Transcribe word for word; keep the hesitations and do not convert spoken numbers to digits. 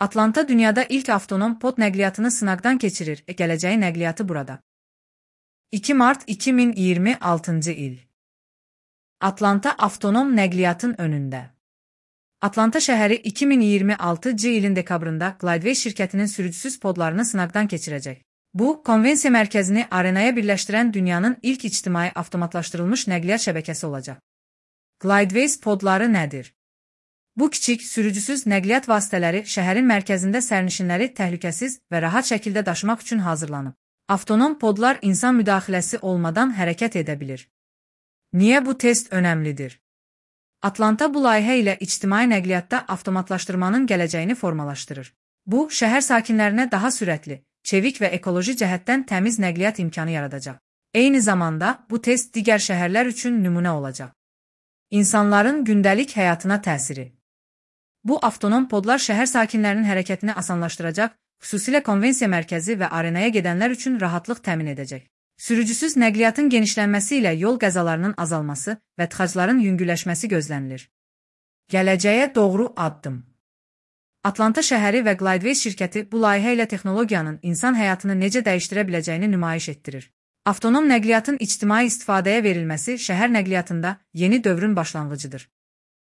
Atlanta dünyada ilk avtonom pod nəqliyyatını sınaqdan keçirir. E, gələcəyi nəqliyyatı burada. iki mart iki min iyirmi altıncı il. Atlanta avtonom nəqliyyatın önündə. Atlanta şəhəri iki min iyirmi altıncı ilin dekabrında Glideway şirkətinin sürücüsüz podlarını sınaqdan keçirəcək. Bu, konvensiya mərkəzini arenaya birləşdirən dünyanın ilk ictimai avtomatlaşdırılmış nəqliyyat şəbəkəsi olacaq. Glideway podları nədir? Bu kiçik, sürücüsüz nəqliyyat vasitələri şəhərin mərkəzində sərnişinləri təhlükəsiz və rahat şəkildə daşımaq üçün hazırlanıb. Avtonom podlar insan müdaxiləsi olmadan hərəkət edə bilir. Niyə bu test önəmlidir? Atlanta bu layihə ilə ictimai nəqliyyatda avtomatlaşdırmanın gələcəyini formalaşdırır. Bu, şəhər sakinlərinə daha sürətli, çevik və ekoloji cəhətdən təmiz nəqliyyat imkanı yaradacaq. Eyni zamanda, bu test digər şəhərlər üçün nümunə olacaq. İnsanların gündəlik həyatına təsiri. Bu avtonom podlar şəhər sakinlərinin hərəkətini asanlaşdıracaq, xüsusilə konvensiya mərkəzi və arenaya gedənlər üçün rahatlıq təmin edəcək. Sürücüsüz nəqliyyatın genişlənməsi ilə yol qəzalarının azalması və tıxacların yüngülləşməsi gözlənilir. Gələcəyə doğru addım. Atlanta şəhəri və Glideway şirkəti bu layihə ilə texnologiyanın insan həyatını necə dəyişdirə biləcəyini nümayiş etdirir. Avtonom nəqliyyatın ictimai istifadəyə verilməsi şəhər nəqliyyatında yeni dövrün başlanğıcıdır.